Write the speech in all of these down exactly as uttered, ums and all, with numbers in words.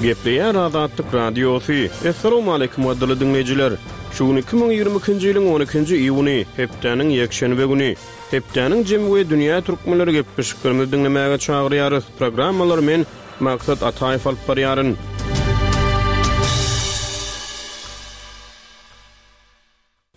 Gepleýär Azatlyk Radiosy. Assalamualaikum gadyrly diňleýjiler. Şu gün iki müň ýigrimi ikinji ýylyň on ikinji iýuny, hepdäniň ýekşenbe güni. Hepdäniň jemi we dünýä türkmenleri gepleşiklerimizi diňlemäge çagyrýarys. Programmalary men Maksat Ataýew alyp barýaryn.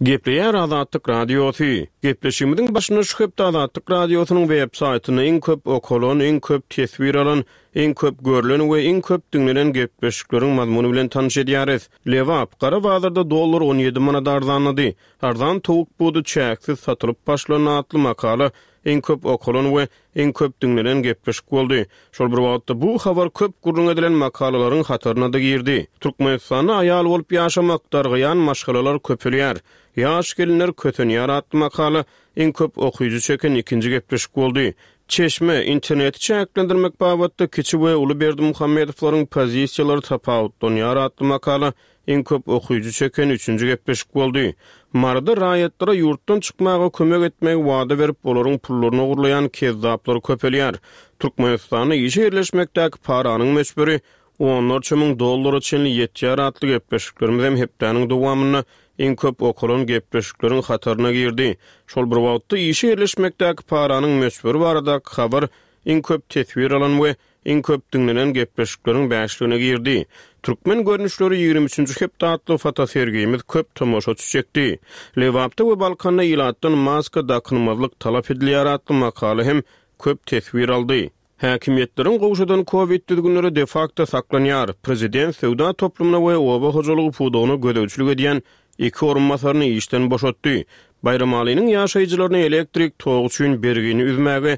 Gepleýär Azatlyk Radiosy. Gepleşigimiziň başynda şu hepde Azatlyk Radiosynyň web saýtynda iň köp okalan, iň köp teswir alan, iň köp görlen we iň köp diňlenen gepleşikleriň mazmuny bilen tanyş edýäris. Lebap, Gara bazarda dollar on ýedi manat arzanlady. Arzan towuk budy çäksiz satylyp başlandy atly makala iň köp okalan we iň köp diňlenen gepleşik boldy. Şol bir wagtda bu habar köp gürrüň edilen makalalaryň hataryna da girdi. Türkmenistanda aýal bolup ýaşamak, dargaýan maşgalalar köpelýär. Ýaş gelinler kösenýär atly makala iň köp okyjy çeken ikinji gepleşik boldy. Çeşme, interneti çäklendirmek babatda kiçi we uly Berdimuhamedowlaryň pozisiýalary tapawutlanýar atly makala iň köp okyjy çeken üçünji gepleşik boldy. Maryda raýatlara ýurtdan çykmaga kömek etmegi wada berip, olaryň pullaryny ogurlaýan kezzaplar köpelýär. Türkmenistanda işe ýerleşmekdäki paranyň möçberi onlarça müň dollara çenli ýetýär atly gepleşiklerimiz hem hepdäniň dowamynda iň köp okalan gepleşikleriň hataryna girdi. Şol bir wagtda işe ýerleşmekdäki paranyň möçberi baradaky habar iň köp teswir alan we iň köp diňlenen gepleşikleriň bäşligine girdi. Türkmen görnüşleri ýigrimi üçünji hepde atly fotosergimiz köp tomaşaçy çekdi. Lebapda we Balkanda ilatdan maska dakynmazlyk talap edilýär atly makala hem köp teswir aldy. Häkimiýetleriň gowşadan Covid düzgünleri de facto saklanýar. Prezident söwda toplumyna we oba hojalygy pudagyna gözegçilik edýän iki orunbasaryny işden boşatdy. Baýramalynyň ýaşaýjylaryna elektrik togy üçin bergini üzmäge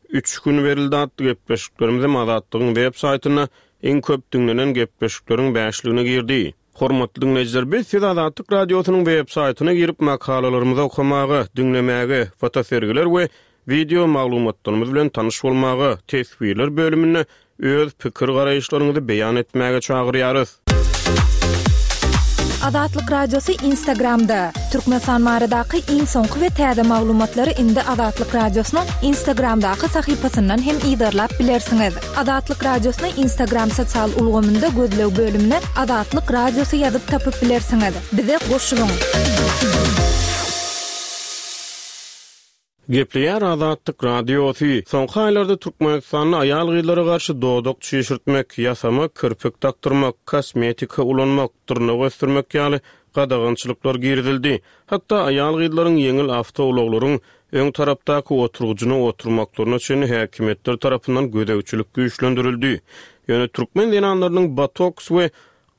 üç gün berildi atly gepleşiklerimiz hem Azatlygyň web saýtynda iň köp diňlenen gepleşikleriň bäşligine girdi. Hormatly diňleýjiler, biz siz Azatlyk Radiosynyň web saýtyna girip makalalarymyzy okamaga, diňlemäge, fotosergiler we video maglumatlarymyz bilen tanyş bolmaga, teswirler bölüminde öz pikir garaýyşlaryňyzy beýan etmäge çagyrýarys. Azatlyk Radiosy Instagramda. Türkmenistan baradaky iň soňky we täze maglumatlary indi Azatlyk Radiosynyň Instagramdaky sahypasyndan hem yzarlap bilersiňiz. Azatlyk Radiosyny Instagram sosial ulgamynda gözleg bölümine Azatlyk Radiosy ýazyp tapyp bilersiňiz. Bize goşulyň. Gepleýär Azatlyk Radiosy. Soňky aýlarda Türkmenistanda aýal gyzlara garşy dodak çişirtmek, ýasama kirpik dakdyrmak, kosmetika ulanmak, dyrnak ösdürmek ýaly gadagançylyklar girizildi. Hatda aýal gyzlaryň ýeňil awtoulaglaryň öň tarapdaky oturgyjyna oturmaklaryna çenli häkimiýetler tarapyndan gözegçilik güýçlendirildi. Ýöne türkmen zenanlarynyň botoks we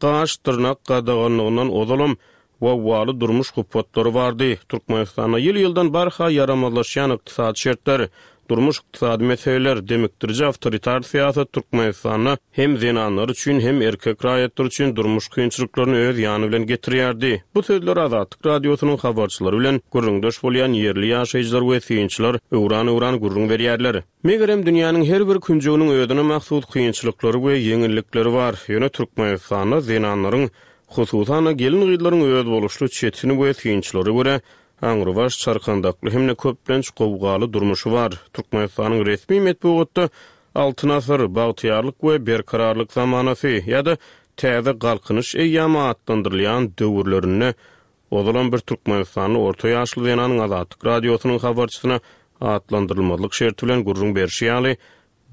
gaş dyrnak gadaganlygyndan ozalam wawwaly durmuş hupatlary bardy. Türkmenistanda ýyl-ýyldan barha ýaramazlaşýan ykdysady şertler, durmuş ykdysady meseleler, demikdiriji awtoritar syýasat Türkmenistanda hem zenanlar üçin hem erkek raýatlar üçin durmuş kynçylyklaryny öz ýany bilen getirýärdi. Bu sözler Azatlyk Radiosynyň habarçylary bilen gürrüňdeş bolýan ýerli ýaşaýjylar we synçylar öwran-öwran gürrüň berýärler. Megerem dünýäniň her bir künjeginiň özüne mahsus kynçylyklary we ýeňillikleri bar. Ýöne Türkmenistanda zenanlaryň, hususan gelin gyzlaryň öz boluşly çetin we synçylara görä aňrybaş çarkandakly hem-de köplenç gowgaly durmuşy bar. Türkmenistanyň resmi metbugatda Altyn asyr, bagtyýarlyk we berkararlyk zamanasy ýa-da täze galkynyş eýýamy atlandyrylýan döwürlerinde ozalan bir Türkmenistanly orta ýaşly zenanyň Azatlyk Radiosynyň habarçysyna atlandyrylmazlyk şerti bilen gürrüň berşi ýaly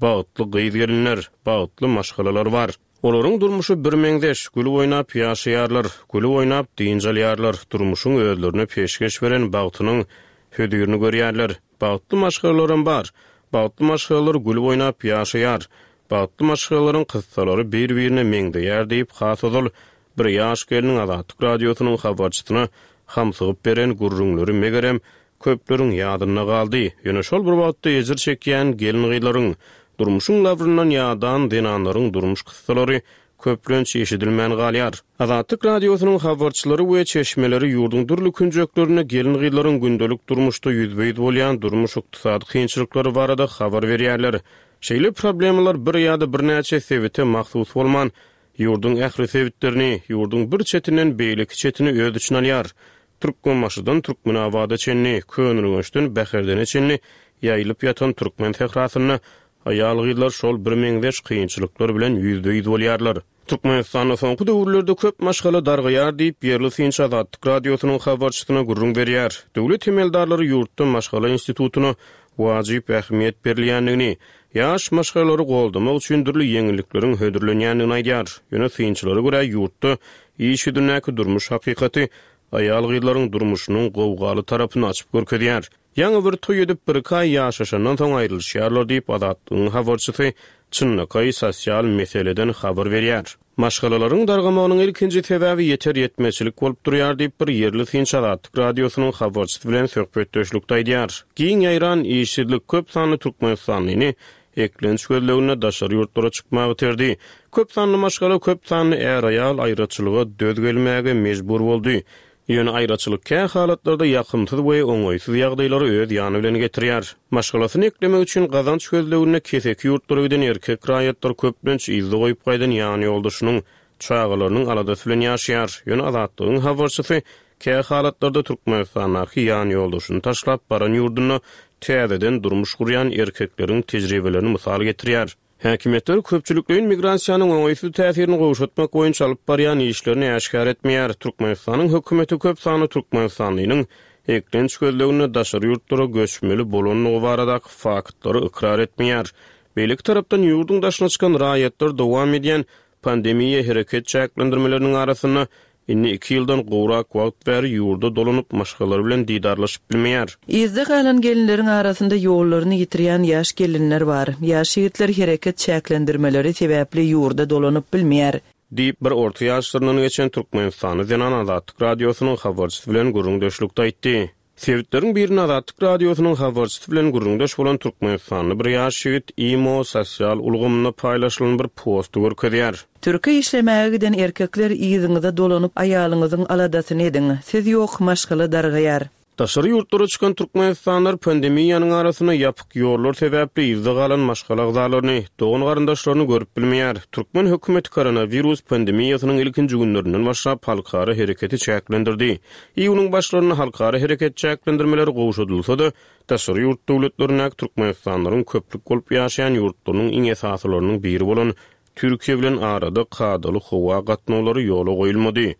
bagtly gyz gelinler, bagtly maşgalalar bar. Olaryň durmuşy bir meňzeş, gülüp oýnap ýaşaýarlar, gülüp oýnap dynç alýarlar, durmuşyň özlerine peşgeş beren bagtynyň hödürini görýärler. Bagtly maşgalalaram bar. Bagtly maşgalalar gülüp oýnap ýaşaýar. Bagtly maşgalalaryň kyssalary bir-birine meňzeýär diýip, has ozal bir ýaş geliniň Azatlyk Radiosynyň habarçysyna hamsygyp beren gürrüňleri megerem köpleriň ýadynda galdy. Ýöne şol bir wagtda ejir çekýän gelin gyzlaryň, durmuşyň labryndan ýadan zenanlaryň durmuş kyssalary köplenç eşidilmän galýar. Azatlyk Radiosynyň habarçylary we çeşmeleri ýurduň dürli künjeklerinde gelin gyzlaryň gündelik durmuşda ýüzbe-ýüz bolýan durmuş ykdysady kynçylyklary barada habar berýärler. Şeýle problemalar bir ýa-da birnäçe sebite mahsus bolman, ýurduň ähli sebitlerini, ýurduň bir çetinden beýleki çetini öz içine alýar. Türkmenbaşydan Türkmenabada çenli, Köneürgençden Bäherdene çenli ýaýylyp ýatan türkmen sährasynda aýal gyzlar şol bir meňzeş kynçylyklar bilen ýüzbe-ýüz bolýarlar. Türkmenistanda soňky döwürlerde köp maşgala dargaýar diýip, ýerli synçy Azatlyk Radiosynyň habarçysyna gürrüň berýär. Döwlet emeldarlary ýurtda maşgala institutyna wajyp ähmiýet berilýändigini, ýaş maşgalalary goldamak üçin dürli ýeňillikleriň hödürlenýändigini aýdýar. Ýöne synçylara görä ýurtda iş ýüzündäki durmuş hakykaty aýal-gyzlaryň durmuşynyň gowgaly tarapyny açyp görkezýär. Ýaňy bir toý edip bir iki aý ýaşaşandan soň aýrylyşýarlar diýip, Azatlygyň habarçysy çynlakaý sosial meseleden habar berýär. Maşgalalaryň dargamagynyň ilkinji sebäbi ýeter ýetmezçilik bolup durýar diýip, bir ýerli synçy Azatlyk Radiosynyň habarçysy bilen söhbetdeşlikde aýdýar. Giň ýaýran işsizlik köp sanly türkmenistanlyny eklenç gözleginde daşary ýurtlara çykmagy iterdi. Köp sanly maşgala, köp sanly är-aýal aýraçylyga döz gelmäge mejbur boldy. Ýöne aýraçylyk kä halatlarda ýakymsyz we oňaýsyz ýagdaýlary öz ýany bilen getirýär. Maşgalasyny eklemek üçin gazanç gözleginde keseki ýurtlara giden erkek raýatlar köplenç yzda goýup gaýdan ýan ýoldaşynyň çagalarynyň aladasy bilen ýaşaýar. Ýöne Azatlygyň habarçysy kä halatlarda Türkmenistandaky ýan ýoldaşyny taşlap baran ýurdunda täzeden durmuş gurýan erkekleriň tejribelerini mysal getirýär. Häkimiýetler köpçülikleýin migrasiýanyň oňaýsyz täsirini gowşatmak boýunça alyp barýan işlerini äşgär etmeýär. Türkmenistanyň hökümeti köp sanly türkmenistanlynyň eklenç gözleginde daşary ýurtlara göçmeli bolandygy baradaky faktlary ykrar etmeýär. Beýleki tarapdan ýurduň daşyna çykan raýatlar dowam edýän pandemiýa hereket çäklendirmeleriniň arasynda indi iki ýyldan gowrak wagt bäri ýurda dolanyp maşgalalary bilen didarlaşyp bilmeýär. Yzda galan gelinleriň arasynda ýollaryny ýitirýän ýaş gelinler bar. Ýaş ýigitler hereket çäklendirmeleri sebäpli ýurda dolanyp bilmeýär. Diýip bir orta ýaşlaryndan geçen Türkmenistany zenan Azatlyk Radiosynyň habarçysy bilen gürrüňdeşlikde aýtdy. Sebitleriň birinde Azatlyk Radiosynyň habarçysy bilen gürrüňdeş bolan Türkmenistanly bir ýaş ýigit imo sosial ulgamynda paýlaşylan bir posty görkezýär. Türkiýe işlemäge giden erkekler yzyňyza dolanyp aýalyňyzyň aladasyny ediň. Siz ýok maşgala dargaýar. Daşary ýurtlara çykan türkmenistanlylar pandemiýanyň arasynda ýapyk ýollar sebäpli yzda galan maşgala agzalaryny, dogan garyndaşlaryny görüp bilmeýär. Türkmen hökümeti koronawirus pandemiýasynyň ilkinji günlerinden başlap halkara hereketi çäklendirdi. Iýunyň başlarynda halkara hereket çäklendirmeleri gowşadylsa-da, daşary ýurt döwletlerindäki türkmenistanlylaryň köplük bolup ýaşaýan ýurtlarynyň iň esasylarynyň biri bolan Türkiýe bilen arada kadaly howa gatnawlary ýola goýulmady.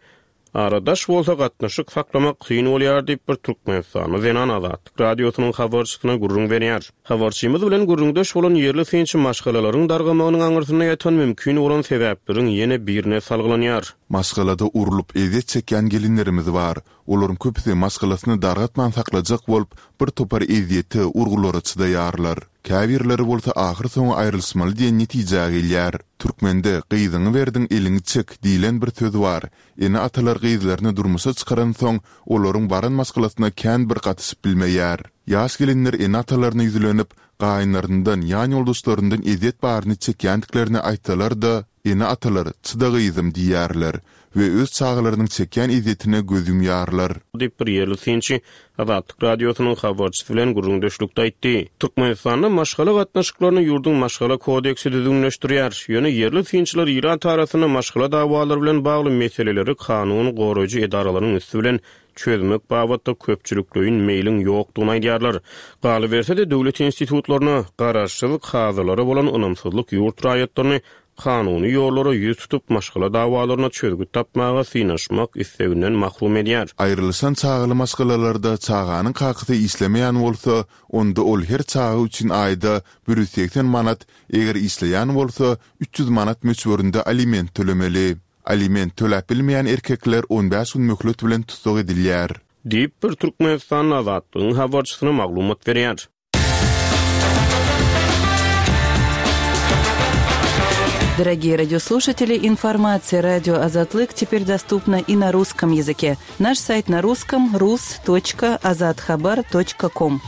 Aradaş bolsa gatnaşyk saklamak kyn bolýar diýip bir Türkmenistanly zenan Azatlyk Radiosynyň habarçysyna gürrüň berýär. Habarçymyz bilen gürrüňdeş bolan ýerli synçy maşgalalaryň dargamagynyň aňyrsynda ýatan mümkin bolan sebäpleriň ýene birine salgylanýar. Maşgalada urlup eziyet çekýän gelinlerimiz bar. Olaryň köpüsi maşgalasyny dargatman saklajak bolup, bir topar eziyete, urgulara çydaýarlar. Käbirleri bolsa ahyr soňy aýrylşmaly diýen netijä gelýär. Türkmende gyzyňy berdiň eliňi çek diýlen bir söz bar. Ene-atalar gyzlaryny durmuşa çykaran soň olaryň baran maşgalasyna kän bir gatyşyp bilmeýär. Ýaş gelinler ene-atalaryna ýüzlenip, gaýynlaryndan, ýan ýoldaşlaryndan eziyet baryny çekýändiklerini aýtsalar-da, ene-atalar çyda gyzym diýýärler we öz çagalarynyň çekýän eziyetine göz ýumýarlar. Diýip bir ýerli synçy Azatlyk Radiosynyň habarçysy bilen gürrüňdeşlikde aýtdy. Türkmenistanda maşgala gatnaşyklaryny ýurduň maşgala kodeksi düzgünleşdirýär. Ýöne ýerli synçylar ilat arasynda maşgala dawalary bilen bagly meseleleri kanun goraýjy edaralaryň üsti bilen çözmek babatda köpçülikleýin meýliň ýokdugyny aýdýarlar. Galyberse-de döwlet institutlaryna garaşsyz kazylara bolan ynamsyzlyk ýurt raýatlaryny kanuny ýollara ýüz tutup maşgala dawalaryna çözgüt tapmaga synaşmak isteginden mahrum edýär. Aýrylyşan çagaly maşgalalarda çaganyň kakasy işlemeýän bolsa, onda ol her çaga üçin aýda bir ýüz segsen manat, eger işleýän bolsa üç ýüz manat möçberinde aliment tölemeli. Aliment töläp bilmeýän erkekler on bäş gün möhlet bilen tussag edilýär. Diýip bir Türkmenistan Azatlygyň habarçysyna maglumat berýär. Дорогие радиослушатели, информация радио Азатлык теперь доступна и на русском языке. Наш сайт на русском рус точка азатхабар точка ком.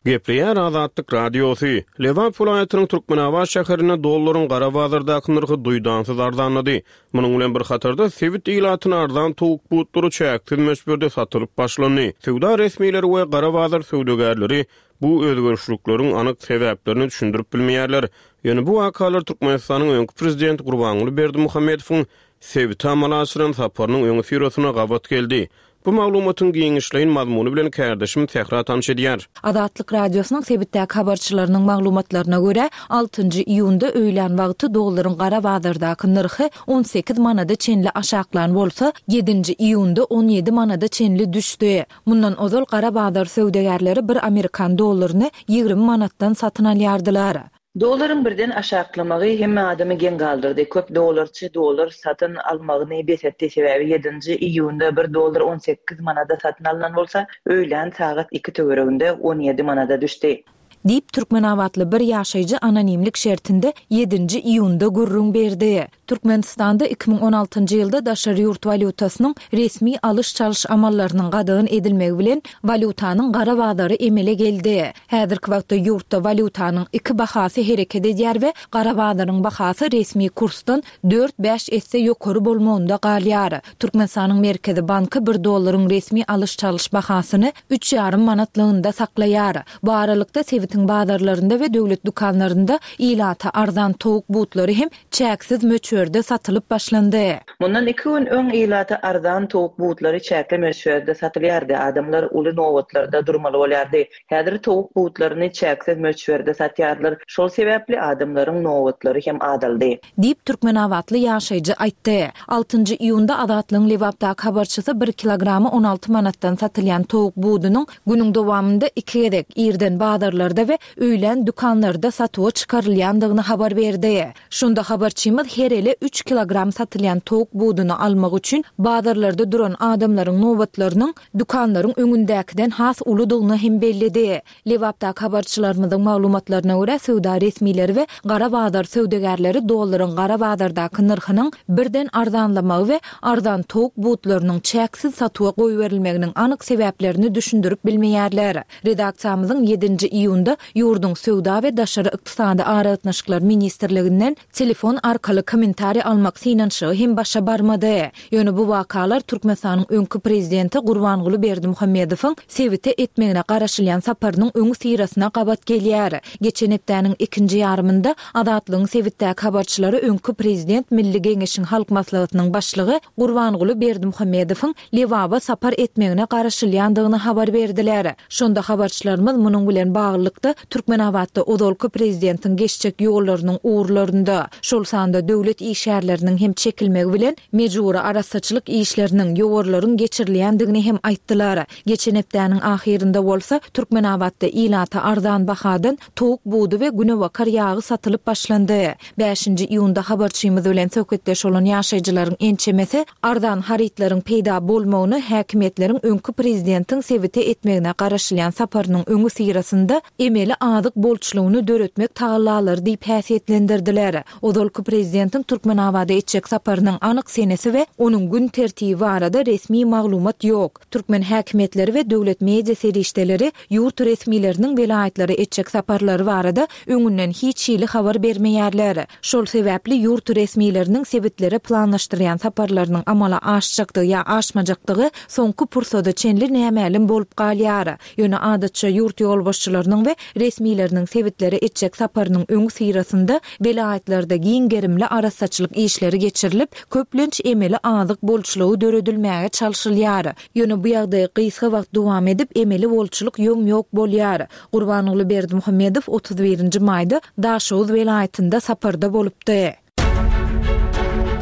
Gepleýär Azatlyk Radiosy. Lebap welaýatynyň Türkmenabat şäherinde dollaryň gara bazardaky nyrhy duýdansyz arzanlady. Munuň bilen bir hatarda sebit ilatyna arzan towuk butlary çäksiz möçberde satylyp başlandy. Söwda resmileri we gara bazar söwdagärleri bu özgerişlikleriň anyk sebäplerini düşündirip bilmeýärler. Ýöne bu wakalar Türkmenistanyň öňki prezidenti Gurbanguly Berdimuhamedowyň sebite amala aşyran saparynyň öňüsyrasyna gabat geldi. Bu maglumatyň giňişleýin mazmuny bilen kärdeşim Sähra tanyş edýär. Azatlyk Radiosynyň sebitdäki habarçylarynyň maglumatlaryna görä, altynjy iýunda öýlän wagty dollaryň gara bazardaky nyrhy on sekiz manada çenli aşaklan bolsa, ýedinji iýunda on ýedi manada çenli düşdi. Mundan ozal gara bazar söwdagärleri bir amerikan dollaryny ýigrimi manatdan satyn alýardylar. Dollaryň birden aşaklamagy hemme adamy geň galdyrdy. Köp dollarçy dollar satyn almagyny bes etdi. Sebäbi ýedinji iýunda bir dollar on sekiz manada satyn alynan bolsa, öýlän sagat iki töwereginde on ýedi manada düşdi. Diýip Türkmenabatly bir ýaşaýjy anonimlik şertinde ýedinji iýunda gürrüň berdi. Türkmenistanda iki müň on altynjy ýylda daşary ýurt walýutasynyň resmi alyş-çalyş amallarynyň gadagan edilmegi bilen walýutanyň gara bazary emele geldi. Häzirki wagtda ýurtda walýutanyň iki bahasy hereket edýär we gara bazaryň bahasy resmi kursdan dört-bäş esse ýokary bolmagynda galýar. Türkmenistanyň Merkezi Banky bir dollaryň resmi alyş-çalyş bahasyny üç ýarym manatlygynda saklaýar. Bu aralykda sebitiň bazarlarynda we döwlet dükanlarynda ilata arzan towuk butlary hem çäksiz möçberde satylyp başlandy. Mundan iki gün öň ilata arzan towuk butlary çäkli möçberde satylýardy. Adamlar uly nobatlarda durmaly bolýardy. Häzir towuk butlaryny çäksiz möçberde satýarlar. Şol sebäpli adamlaryň nobatlary hem azaldy. Diýip Türkmenabatly ýaşaýjy aýtdy. Altynjy iýunda Azatlygyň Lebapdaky habarçysy bir kilogramy on alty manatdan satylýan towuk budunyň günüň dowamynda iki gezek irden bazarlarda we öýlän dükanlarda satuwa çykarylýandygyny habar berdi. Şunda habarçymyz her ele üç kilogram satylýan towuk buduny almak üçin bazarlarda duran adamlaryň nobatlarynyň dükanlaryň öňündäkiden has uludygyny hem belledi. Lebapdaky habarçylarymyzyň maglumatlaryna görä söwda resmileri we gara bazar söwdagärleri dollaryň gara bazardaky nyrhynyň birden arzanlamagy we arzan towuk butlarynyň çäksiz satuwa goýberilmeginiň anyk sebäplerini düşündirip bilmeýärler. Redaksiýamyzyň ýedinji iýunda ýurduň söwda we daşary ykdysady aragatnaşyklar ministrliginden telefon arkaly kommentariý almak synanyşygy hem başa barmady. Ýöne bu wakalar Türkmenistanyň öňki prezidenti Gurbanguly Berdimuhamedowyň sebite etmegine garaşylýan saparynyň öňi syrasyna gabat gelýär. Geçen hepdäniň ikinji ýarymynda Azatlygyň sebitdäki habarçylary öňki prezident Milli Geňeşiň Halk Maslahatynyň başlygy Gurbanguly Berdimuhamedowyň Lebaba sapar etmegine garaşylýandygyny habar berdiler. Şonda habarçylarymyz munuň bilen baglylykda Türkmenabatda ozalky prezidentiň geçjek ýollarynyň ugurlarynda, şol sanda döwlet işgärleriniň hem çekilmegi bilen mejbury arassaçylyk işleriniň ýowarlaryň geçirilýändigini hem aýtdylar. Geçen hepdäniň ahyrynda bolsa Türkmenabatda ilata arzan bahadan towuk budy we günebakar ýagy satylyp başlandy. Bäşinji iýunda habarçymyz bilen söhbetdeş bolan ýaşaýjylaryň ençemesi arzan harytlaryň peýda bolmagyny häkimiýetleriň öňki prezidentiň sebite etmegine garaşylýan saparynyň öňi syrasynda emeli azyk bolçulygyny döretmek tagallalary diýip häsiýetlendirdiler. Ozalky prezidentiň Türkmenabada etjek saparynyň anyk senesi we onuň gün tertibi barada resmi maglumat ýok. Türkmen häkimiýetleri we döwlet media serişdeleri ýurt resmileriniň welaýatlara etjek saparlary barada öňünden hiç hili habar bermeýärler. Şol sebäpli ýurt resmileriniň sebitlere planlaşdyrýan saparlarynyň amala aşjakdygy ýa aşmajakdygy soňky pursada çenli nämälim bolup galýar. Ýöne adatça ýurt ýolbaşçylarynyň we resmileriniň sebitlere etjek saparynyň öňi syrasynda welaýatlarda giň gerimli arassaçylyk işleri geçirilip, köplenç emeli azyk bolçulygy döredilmäge çalşylýar. Ýöne bu ýagdaý gysga wagt dowam edip, emeli bolçulyk ýom-ýok bolýar. Gurbanguly Berdimuhamedow otuz birinji maýda Daşoguz welaýatynda saparda bolupdy.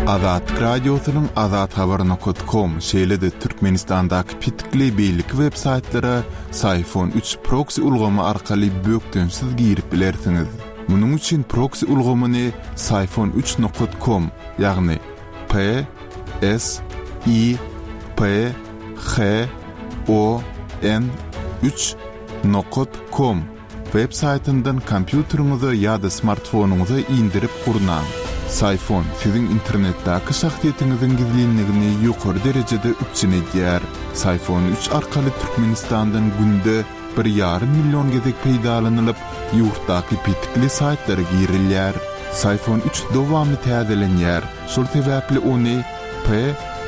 Azatlyk Radiosynyň Azat Habar nokta com, şeýle-de Türkmenistandaky petikli beýleki web saýtlara Syfon üç proxy ulgamy arkaly bökdençsiz girip bilersiňiz. Munuň üçin proxy ulgamyny Syfon üç nokta com, ýagny P S I P H O N üç nokta com web saýtyndan kompýuteriňize ýa-da smartfonyňyza indirip gurnaň. Syfon siziň internetdäki şahsyýetiňiziň gizlinligini ýokary derejede üpjün edýär. Syfon üç arkaly Türkmenistandan günde bir ýarym million gezek peýdalanylyp, ýurtdaky petikli saýtlara girilýär. Syfon üç dowamly täzelenýär. Şol sebäpli ony P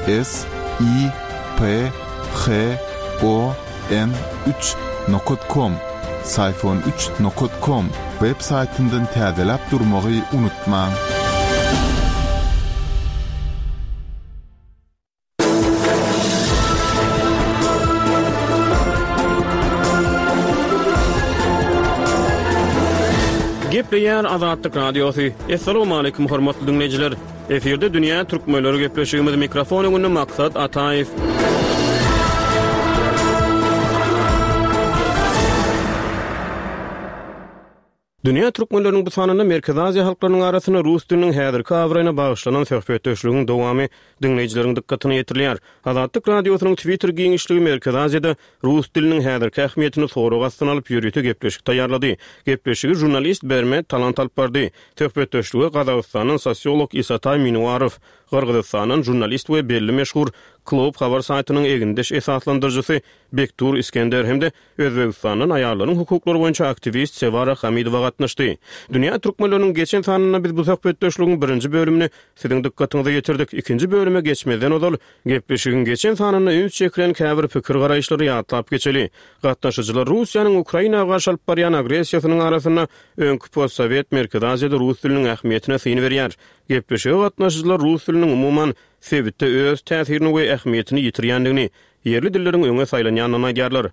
S I P H O N üç nokta com, Syfon üç nokta com web saýtyndan täzeläp durmagy unutmaň. Gepleýär Azatlyk Radiosy. Assalamu hormatly diňleýjiler. Efirde Dünýä Türkmenleri gepleşigimiz mikrofon öňünde Maksat Ataýew. Dünýä Türkmenleriniň bu sanynda Merkezi Aziýa halklarynyň arasynda rus diliniň häzirki abraýyna bagyşlanan söhbetdeşligiň dowamy diňleýjileriň dykgatyna ýetirilýär. Azatlyk Radiosynyň Twitter giňişligi Merkezi Aziýada rus diliniň häzirki ähmiýetini sorag astyna alyp ýörite gepleşik taýýarlady. Gepleşigi žurnalist Bermet Talant alyp bardy. Söhbetdeşlige Gazagystandan sosiolog Isatay Minuarow, Gyrgyzystandan žurnalist we belli meşhur Klob habar saýtynyň egindeş esaslandyryjysy Bektur Iskender hem-de Özbegistandan aýallaryň hukuklary boýunça aktiwist Sewara Hamidowa gatnaşdy. Dünýä türkmenleriniň geçen sanynda biz bu söhbetdeşligiň birinji bölümini siziň dykgatyňyza ýetirdik. Ikinji bölüme geçmezden ozal gepleşigiň geçen sanynda üns çekilen käbir pikir garaýyşlary ýatlap geçeli. Gatnaşyjylar Russiýanyň Ukraina garşy alyp barýan agressiýasynyň arasynda öňki postsowet Merkezi Aziýada rus diliniň ähmiýetine syn berýär. Gepleşige gatnaşyjylar rus diliniň umuman sebitde öz täsirini we ähmiýetini ýitirýändigini, ýerli dilleriň öňe saýlanýandygyny aýdýarlar.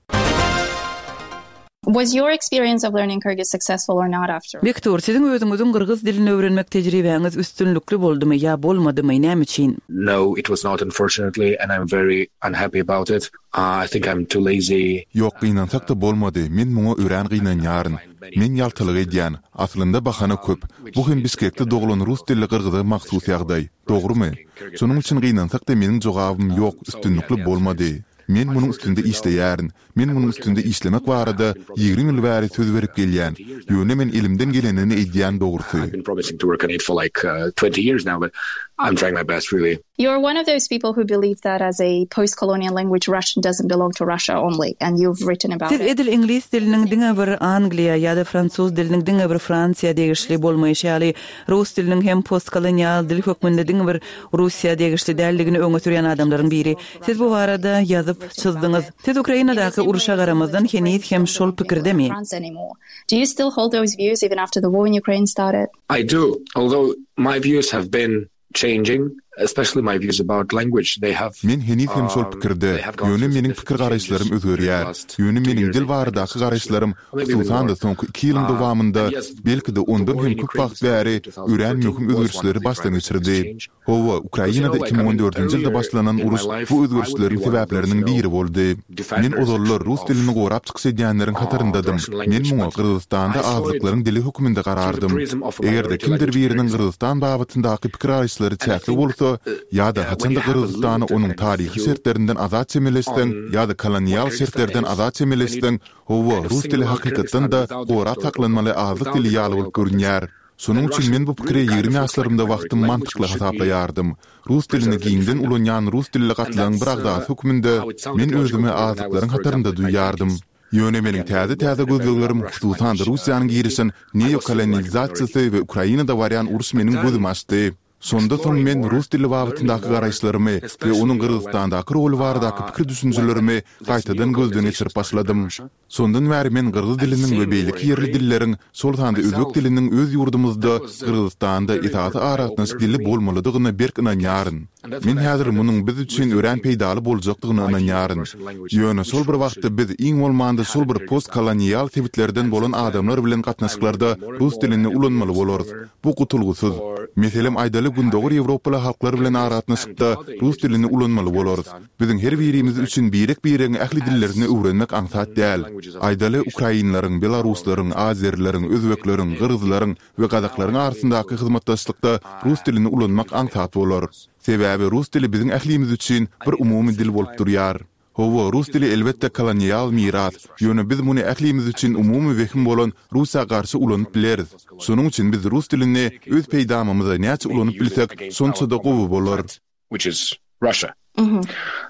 Was your experience of learning Kyrgyz successful or not after? Bektur, siziň özüňiziň gyrgyz dilini öwrenmek tejribäňiz üstünlikli boldumy ýa bolmadymy, näme üçin? No, it was not unfortunately and I'm very unhappy about it. Uh, I think I'm too lazy. Ýok, gynansak-da bolmady. Men muňa örän gynanýaryn. Men ýaltalyk edýän. Aslynda bahana köp. Bu hem Bişkekde doglan rus dilli gyrgyza mahsus ýagdaý. Dogrumy? Şonuň üçin gynansak-da meniň jogabym ýok, üstünlikli bolmady. Men munuň üstünde işleýärin. Men munuň üstünde işlemek barada ýigrimi ýyl bäri söz berip gelýän. Ýöne men elimden gelenini edýän dogrusy. I've been promising to work on it for like uh, twenty years now, but I'm trying my best really. You're one of those people who believe that as a post-colonial language, Russian doesn't belong to Russia only, and you've written about Siz it. edil iňlis diliniň diňe bir Angliýa ýa-da fransuz diliniň diňe bir Fransiýa degişli bolmaýşy ýaly, rus diliniň hem postkolonial dil hökmünde diňe bir Russiýa degişli däldigini öňe sürýän adamlaryň biri. Siz bu barada ýazyp çyzdyňyz. Siz Ukrainadaky uruşa garamazdan heniz hem şol pikirdemi? France anymore. Do you still hold those views even after the war in Ukraine started? I do, although my views have been changing, especially my views about language. They have Men heniz hem şol um, pikirde. they have gone Ýöne through meniň significant pikir garaýyşlarym changes during the özgerýär. last Ýöne two meniň years, dil I think, baradaky garaýyşlarym maybe even hususan-da more. soňky iki ýylyň Uh, dowamynda and yes, belki-de the ondan war hem in köp Ukraine wagt bäri started in two thousand örän thirteen möhüm was one of özgerişleri the başdan drivers of this geçirdi. change. Hawa, Because you Ukrainada know, like, iki I müň on mean, dördünji ýylda earlier başlanan in my uruş life, bu I would be özgerişleriň one of those, sebäpleriniň you know, biri boldy. Men defenders ozallar actually rus of dilini gorap çykyş edýänleriň uh, the hataryndadyň. Russian Men language, muňa but Gyrgyzystanda I saw it azlyklaryň dili hökmünde through the garardym. prism of a Eger-de minority kimdir language in biriniň Kyrgyzstan. Gyrgyzystan babatyndaky pikir garaýyşlary And I çäkli think bolsa, uh, ýa-da yeah, when haçanda you have a Gyrgyzystany limited onuň kind of taryhy view şertlerinden azat çemeleşseň, on ýa-da what kolonial Kyrgyzstan şertlerden is, azat when you çemeleşseň, hawa, kind of rus dili single out hakykatdan Kyrgyzstan da without the gorap historical saklanmaly context, azlyk without dili the ýaly bolup colonial context, görünýär. Şonuň then üçin Russian men bu pikire really kind ýigrimi of looks like a ýaşlarymda minority wagtym language mantykly which should be hasaplaýardym. Rus dilini preserved and giňden defended. ulanýan rus dilli And gatlagyň bir that's agzasy uh, hökmünde how it sounded men logical özümi to me when I was, azlyklaryň for hatarynda example, in my duýýardym. twenties. Ýöne meniň Again, täze working täze in a very gözleglerim Russian hususan-da language uh, Russiýanyň community, girişen I was still like a minority. neokolonializasiýasy we Ukrainada barýan uruş But meniň then gözümi açdy. Şonda soň exploring men more, rus dili learning babatyndaky more, garaýyşlarymy we especially onuň you know when Gyrgyzystandaky roly baradaky uh, pikir when düşünjelerimi this gaýtadan gözden neocolonization geçirip started in başladym. Russia Şondan bäri men gyrgyz and diliniň we seeing the war beýleki in ýerli Ukraine dilleriň, şol sanda özbek myself, diliniň öz ýurdumyzda that was a Gyrgyzystanda very esasy important eye aragatnaşyk opener dili for me bolmalydygyna berk ynanýaryn. And that's Men when I häzir started munuň biz üçin örän rethinking peýdaly boljakdygyna my view on ynanýaryn. Russian language, Ýöne which şol bir Russia wagtda biz iň bolmanda had şol in bir Kyrgyzstan. postkolonial sebitlerden And bolan since then, adamlar bilen I'm gatnaşyklarda working more and rus more dilini and every year ulanmaly bolarys. stronger Bu gutulgysyz. for Meselem aýdaly Gündogar having Ýewropaly halklar bilen Kyrgyz and aragatnaşykda other rus indigenous dilini languages in ulanmaly bolarys. Kyrgyzstan Biziň her to be birimiz protected üçin birek-biregiň ähli dillerini as öwrenmek aňsat däl. languages of Aýdaly occupation ukrainleriň, no longer belaruslaryň, azerleriň, özbekleriň, in gyrgyzlaryň we now gazaklaryň I believe arasyndaky will hyzmatdaşlykda rus uh, dilini ulanmak be aňsat bolar. difficult. Sebäbi rus dili biziň ählimiz üçin I bir mean, at the umumy dil same bolup time, durýar. Hawa, rus it is dili not elbetde possible to kolonial miras. use Russian Ýöne biz muny ählimiz as üçin a umumy wehim bolan Russiýa garşy ulanyp from the bileris. post-colonial Şonuň üçin biz rus dilini communicate öz with, peýdamymyza näçe maybe ulanyp use it bilsek, against our şonça da common gowy bolar. threat, which is Russia. Mm-hmm.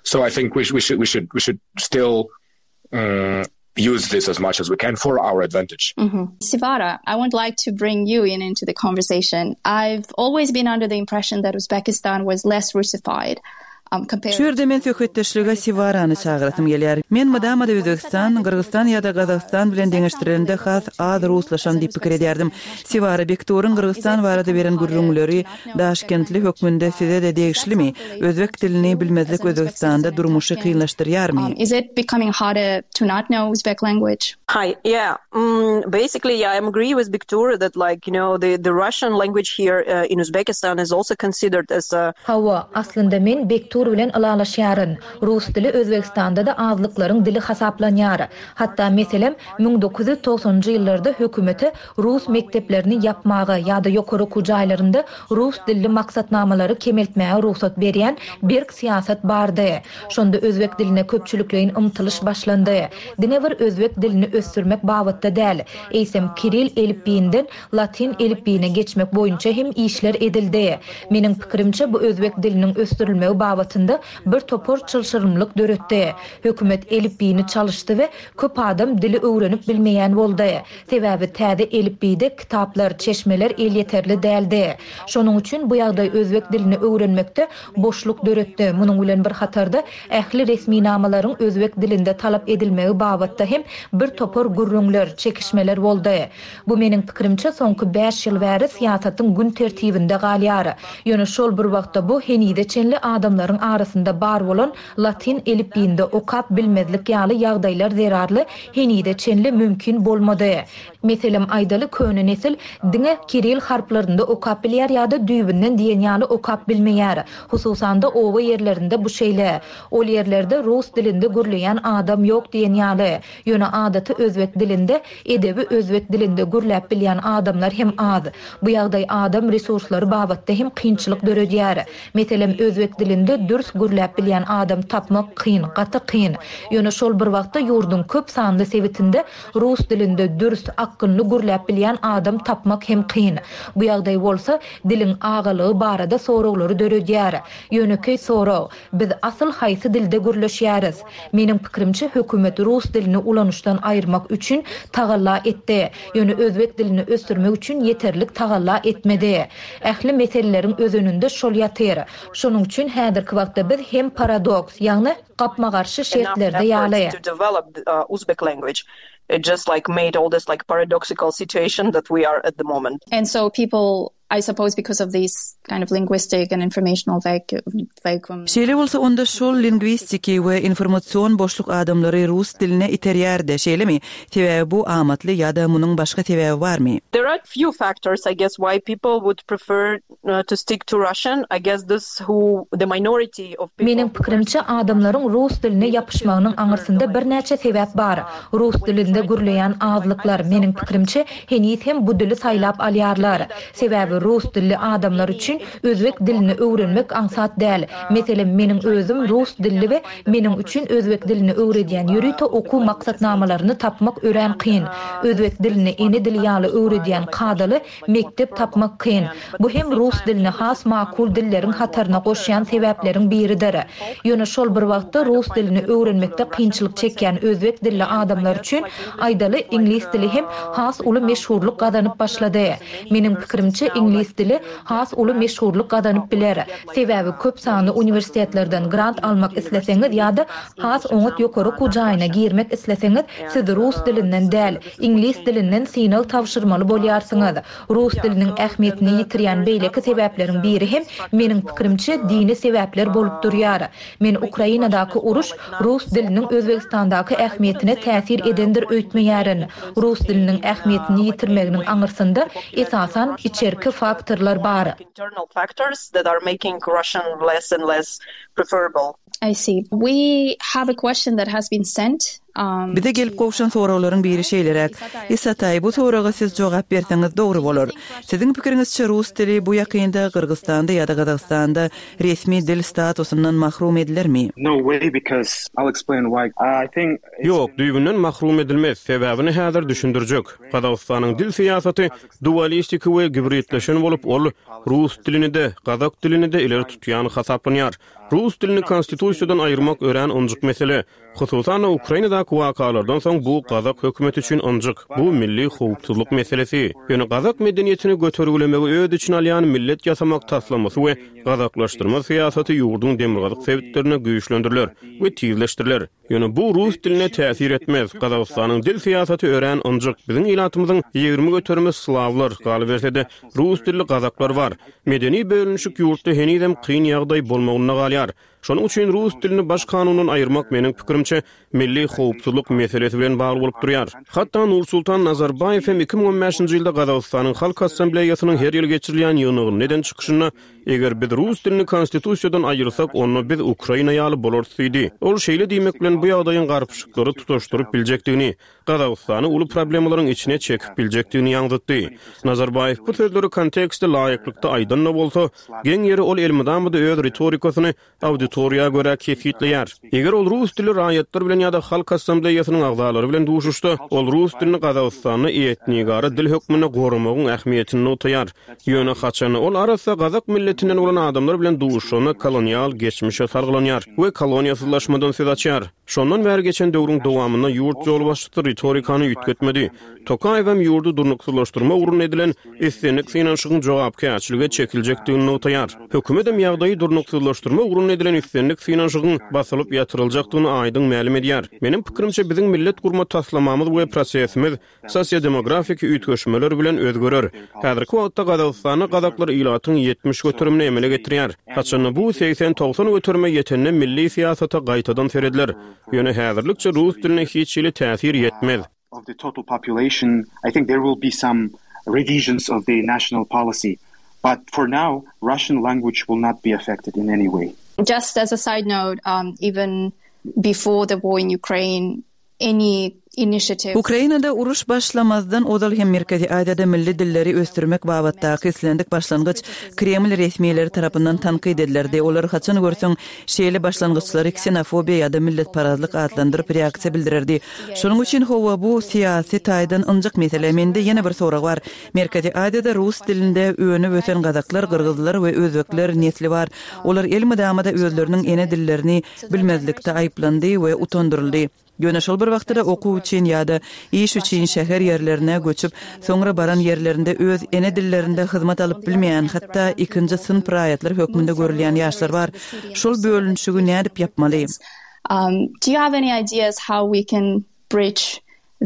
So I think we, sh- we should we should we should still um, use this as much as we can for our advantage. Mm-hmm. Sivara, I would like to bring you in into the conversation. I've always been under the impression that Uzbekistan was less Russified. Um, compared Şu ýerde men söhbetdeşlige Siwarany çagyrasym gelýär. Men mydama-da Özbegistan, Gyrgyzystan ýa-da Gazagystan bilen deňeşdirilende has az ruslaşan diýip pikir edýärdim. Siwara Bekturyň Gyrgyzystan barada beren gürrüňleri Daşkentli hökmünde size-de degişlimi? Özbek dilini bilmezlik Özbegistanda durmuşy kynlaşdyrýarmy? Um, is it becoming harder to not know Uzbek language? Hi, yeah. Mm, basically, yeah, I agree with Bektur that, like, you know, the, the Russian language here uh, in Uzbekistan is also considered as a Hawa, aslynda men Bektur bilen ylalaşýaryn. Rus dili Özbegistanda-da azlyklaryň dili hasaplanýar. Hatda meselem müň dokuz ýüz togsanynjy ýyllarda hökümete rus mekdeplerini ýapmaga ýa-da ýokary okuw jaýlarynda rus dilli maksatnamalary kemeltmäge rugsat berýän berk syýasat bardy. Şonda özbek diline köpçülikleýin ymtylyş başlandy. Diňe bir özbek dilini ösdürmek babatda däl, eýsem Kiril elipbiýinden Latin elipbiýine geçmek boýunça hem işler edildi. Meniň pikirimçe, bu özbek diliniň ösdürilmegi babatynda bir topar çylşyrymlyk döretdi. Hökümet elipbiýini çalyşdy we köp adam dili öwrenip bilmeýän boldy. Sebäbi täze elipbiýde kitaplar, çeşmeler elýeterli däldi. Şonuň üçin bu ýagdaý özbek dilini öwrenmekde boşluk döretdi. Munuň bilen bir hatarda ähli resminamalaryň özbek dilinde talap edilmegi babatda hem bir topar gürrüňler, çekişmeler boldy. Bu meniň pikirimçe soňky bäş ýyl bäri syýasatyň gün tertibinde galýar. Ýöne şol bir wagtda bu henize çenli adamlaryň arasynda bar bolan latin elipbiýinde okap bilmezlik ýaly ýagdaýlar zerarly henize çenli mümkin bolmady. Meselem aýdaly, köne nesil diňe kiril harplarynda okap bilýär ýa-da düýbünden diýen ýaly okap bilmeýär. Hususan-da oba ýerlerinde bu şeýle. Ol ýerlerde rus dilinde gürleýän adam ýok diýen ýaly. Ýöne adaty özbek dilinde, edebi özbek dilinde gürläp bilýän adamlar hem az. Bu ýagdaý adam resurslary babatda hem kynçylyk döredýär. Meselem, özbek dilinde dürs gürläp bilýän adam tapmak kyn, gaty kyn. Ýöne şol bir wagtda ýurduň köp sanly sebitinde rus dilinde dürs, akgynly gürläp bilýän adam tapmak hem kyn. Bu ýagdaý bolsa diliň agalygy barada soraglary döredýär. Ýönekeý sorag: biz asyl haýsy dilde gürleşýäris? Meniň pikirimçe, hökümet rus dilini ulanyşdan aýyrmak üçin tagalla etdi. Ýöne özbek dilini ösdürmek üçin ýeterlik tagalla etmedi. Ähli meseleleriň özeninde şol ýatyr. Şonuň üçin häzirki wagtda biz hem paradoks, ýagny gapma-garşy şertlerde ýaly. To develop uh, Uzbek language. It just like made all this like paradoxical situation that we are at the moment. And so people, I suppose, because of these kind of linguistic and informational vacuum. Şeýle bolsa onda şol lingwistiki we informasion boşluk adamlary rus diline iterýärdi, şeýlemi? Sebäbi bu amatly ýa-da munuň başga sebäbi barmy? There are few factors, I guess, why people would prefer uh, to stick to Russian. I guess this who the minority of people. Meniň pikirimçe, adamlaryň rus diline ýapyşmagynyň aňyrsynda birnäçe sebäp bar. Rus dilinde gürleýän azlyklar, meniň pikirimçe, heniz hem bu dili saýlap alýarlar. Sebäbi rus dilli adamlar üçin özbek dilini öwrenmek aňsat däl. Meselem, meniň özüm rus dilli we meniň üçin özbek dilini öwredýän ýörite okuw maksatnamalaryny tapmak örän kyn. Özbek dilini ene dili ýaly öwredýän kadaly mekdep tapmak kyn. Bu hem rus dilini has makul dilleriň hataryna goşýan sebäpleriň biridir. Ýöne şol bir wagtda rus dilini öwrenmekde kynçylyk çekýän özbek dilli adamlar üçin aýdaly iňlis dili hem has uly meşhurlyk gazanyp başlady. Meniň pikirimçe, iňlis dili has uly meşhurlyk gazanyp biler. Sebäbi köp sanly uniwersitetlerden grant almak isleseňiz ýa-da has oňat ýokary okuw jaýyna girmek isleseňiz, siz rus dilinden däl, iňlis dilinden synag tabşyrmaly bolýarsyňyz. Rus diliniň ähmiýetini ýitirýän beýleki sebäpleriň biri hem meniň pikirimçe dini sebäpler bolup durýar. Men Ukrainadaky uruş rus diliniň Özbegistandaky ähmiýetine täsir edendir öýtmeýärin. Rus diliniň ähmiýetini ýitirmeginiň aňyrsynda esasan içerki faktorlar bar. Internal factors that are making Russian less and less preferable. I see. We have a question that has been sent. Um, Bize gelip gowşan soraglaryň biri şeýleräk. Isatay, bu soraga siz jogap berseňiz dogry bolar. Siziň pikiriňizçe, rus dili bu ýakynda Gyrgyzystanda ýa-da Gazagystanda resmi dil statusyndan mahrum edilermi? No way, because I'll explain why. I think Ýok, düýbünden mahrum edilmez. Sebäbini häzir düşündirjek. Gazagystanyň dil syýasaty dualistiki we gibridleşen bolup, ol rus dilini-de, gazak dilini-de ileri tutýan hasaplanýar. Rus dilini konstitusiýadan aýyrmak örän ynjyk mesele. Hususan-da Ukrainadaky wakalardan soň bu gazak hökümeti üçin ynjyk, bu milli howpsuzlyk meselesi. Ýöne gazak medeniýetini götergilemegi öz içine alýan millet ýasamak taslamasy we gazaklaşdyrma syýasaty ýurduň demirgazyk sebitlerinde güýçlendiriler we tizleşdiriler. Ýöne bu rus diline täsir etmez. Gazagystanyň dil syýasaty örän ynjyk. Biziň ilatymyzyň ýigrimi göterimi slawlar, galyberse-de, rus dilli gazaklar bar. Medeni bölünişik ýurtda henizem kyn ýagdaý bolmagynda galýar. Şonuň üçin rus dilini baş kanundan aýyrmak, meniň pikirimçe, milli howpsuzlyk meselesi bilen bagly bolup durýar. Hatda Nursultan Nazarbaýew hem iki müň on bäşinji ýylda Gazagystanyň Halk Assambleýasynyň her ýyl geçirilýän ýygnagynda eden çykyşynda, Eger biz rus dilini konstitusiýadan aýyrsak, onda biz Ukraina ýaly bolarys diýdi. Ol şeýle diýmek bilen bu ýagdaýyň garpyşyklary tutaşdyryp biljekdigini, Gazagystany uly problemalaryň içine çekip biljekdigini ýaňzytdy. Nazarbaýew bu sözleri kontekste laýyklykda aýdan-da bolsa, geň ýeri ol elmydama-da öz ritorikasyny auditoriýa görä kesgitleýär. Eger ol rus dilli raýatlar bilen ýa-da Halk Assambleýasynyň agzalary bilen duşuşsa, ol rus dilini Gazagystanda etnigara dil hökmünde goramagyň ähmiýetini nygtaýar. Ýöne haçanda ol arassa gazak milletinden bolan adamlar bilen duşuşanda kolonial geçmişe salgylanýar we koloniýasyzlaşmadan söz açýar. Şondan bäri geçen döwrüň dowamynda ýurt ýolbaşçysy ritorikany üýtgetmedi. Tokaýewem ýurdy durnuksyzlaşdyrmak ugrunda edilen islendik synanyşygyň jogapkärçilige çekiljekdigini nygtaýar. Hökümetem ýagdaýy durnuksyzlaşdyrmak ugrunda edilen islendik synanyşygyň basylyp ýatyryljakdygyny aýdyň mälim edýär. Meniň pikirimçe, biziň millet gurma taslamamyz we prosesimiz sosiodemografiki üýtgeşmeler bilen özgerer. Häzirki wagtda Gazagystanda gazaklar ilatyň ýetmiş göterimini emele getirýär. Haçanda bu segsen-togsan göterime ýetende milli syýasata gaýtadan serediler. Ýöne häzirlikçe rus diline hiç hili täsir ýetmez. of the total population, I think there will be some revisions of the national policy. But for now, Russian language will not be affected in any way. Just as a side note, um, even before the war in Ukraine, any initiative. Ukrainada uruş başlamazdan ozal hem Merkezi Aziýada milli dilleri ösdürmek babatdaky islendik başlangyç Kreml resmileri tarapyndan tankyt edilerdi. Olar haçan görseň şeýle başlangyçlary ksenofobiýa ýa-da milletparazlyk atlandyryp reaksiýa bildirerdi. Şonuň üçin hawa bu syýasy taýdan ynjyk mesele. Mende ýene bir sorag bar. Merkezi Aziýada rus dilinde önüp ösen gazaklar, gyrgyzlar we özbekler nesli bar. Olar elmydama-da özleriniň ene dillerini bilmezlikde aýyplandy we utandyryldy. Ýöne şol bir wagtda-da okuw üçin ýa-da iş üçin şäher ýerlerine göçüp, soňra baran ýerlerinde öz ene dillerinde hyzmat alyp bilmeýän, hatda ikinji synp raýatlar hökmünde görülýän ýaşlar bar. Şol bölünişigi nädip ýapmaly? Um, do you have any ideas how we can bridge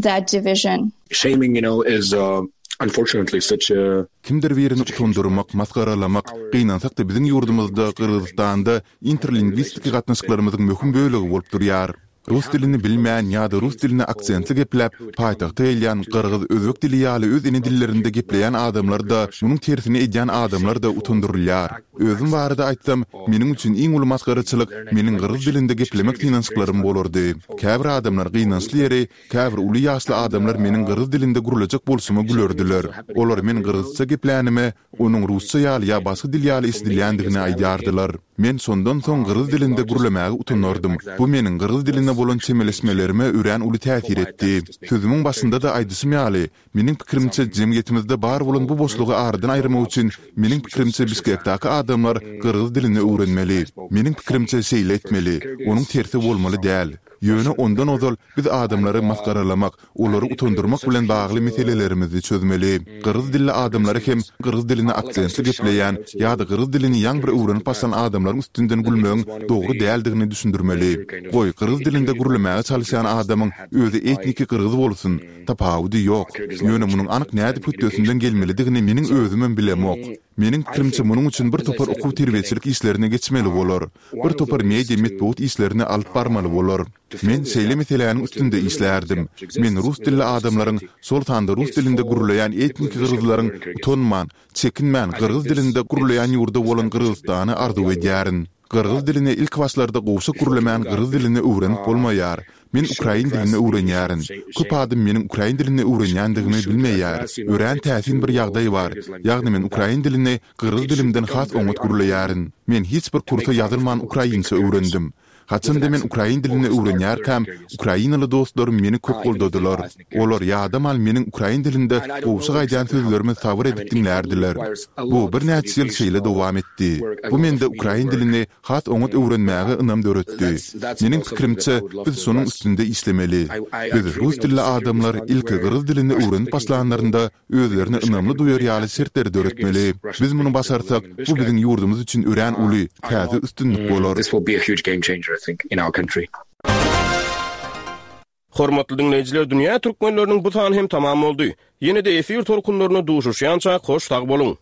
that division? Shaming, you know, is uh, unfortunately such a Kimdir birini utandyrmak, masgaralamak, gynansak-da biziň ýurdumyzda, Gyrgyzystanda interlingwistiki gatnaşyklarymyzyň möhüm bölegi bolup durýar. Rus dilini bilmeýän ýa-da rus dilini aksentli gepläp, paýtagta gelýän gyrgyz, özbek dili ýaly öz ene dillerinde gepleýän adamlar-da, munuň tersini edýän adamlar-da utandyrylýar. Özüm barada aýtsam, meniň üçin iň uly masgaraçylyk meniň gyrgyz dilinde geplemek synanyşyklarym bolardy. Käbir adamlar gynançly ýeri, käbir uly ýaşly adamlar meniň gyrgyz dilinde gürlejek bolşuma gülerdiler. Olar men gyrgyzça geplänime, onuň rusça ýaly ýa başga dil ýaly eşidilýändigini aýdýardylar. Men şondan soň gyrgyz dilinde gürlemäge utanardym. Bu meniň gyrgyz diline bolan çemeleşmelerime örän uly täsir etdi. Sözümiň başynda-da aýdyşym ýaly, meniň pikirimçe jemgyýetimizde bar bolan bu boşlugy aradan aýyrmak üçin meniň pikirimçe Bişkekdäki adamlar gyrgyz dilini öwrenmeli. Meniň pikirimçe şeýle etmeli, onuň tersi bolmaly däl. Ýöne ondan ozal biz adamlary masgaralamak, olary utandyrmak bilen bagly meselelerimizi çözmeli. Gyrgyz dilli adamlary hem gyrgyz dilini aksentli gepleýän ýa-da gyrgyz dilini ýaňy bir öwrenip başlan adamlaryň üstünden gülmegiň dogry däldigini düşündirmeli. Goý, gyrgyz dilinde gürlemäge çalyşýan adamyň özi etniki gyrgyz bolsun, tapawudy ýok. Ýöne munuň anyk nädip hötdesinden gelmelidigini meniň özümem bilemok. Meniň pikirimçe munuň üçin bir topar okuw-terbiýeçilik işlerini geçmeli bolar. Bir topar media metbugat işlerini alyp barmaly bolar. Men şeýle meseläniň üstünde işlärdim. Men rus dilli adamlaryň, şol sanda rus dilinde gürleýän etniki gyrgyzlaryň utanman, çekinmän gyrgyz dilinde gürleýän ýurdy bolan Gyrgyzystany arzuw edýärin. Gyrgyz dilini ilki başlarda gowşak gürlemän gyrgyz dilini öwrenip bolmaýar. Men ukrain dilini öwrenýärin. Köp adam meniň ukrain dilini öwrenýändigimi bilmeýär. Örän täsin bir ýagdaý bar. Ýagny men ukrain dilini gyrgyz dilimden has oňat gürleýärin. Men hiç bir kursa ýazylman ukrainça öwrendim. Haçanda men ukrain dilini öwrenýärkäm, ukrainaly dostlarym meni köp goldadylar. Olar ýadaman meniň ukrain dilinde gowşak aýdýan sözlerimi sabyr edip diňlärdiler. Bu birnäçe ýyl şeýle dowam etdi. Bu mende ukrain dilini has oňat öwrenmäge ynam döretdi. Meniň pikirimçe, biz şonuň üstünde işlemeli. Biz rus dilli adamlar ilki gyrgyz dilini öwrenip başlanlarynda özlerini ynamly duýar ýaly şertleri döretmeli. Biz muny başarsak, bu biziň ýurdumyz üçin örän uly, täze üstünlik bolar. Hormatly diňleýjiler, Dünýä türkmenleriniň bu sany hem tamam boldy. Ýene-de efir tolkunlarynda duşuşýançak hoş sag boluň!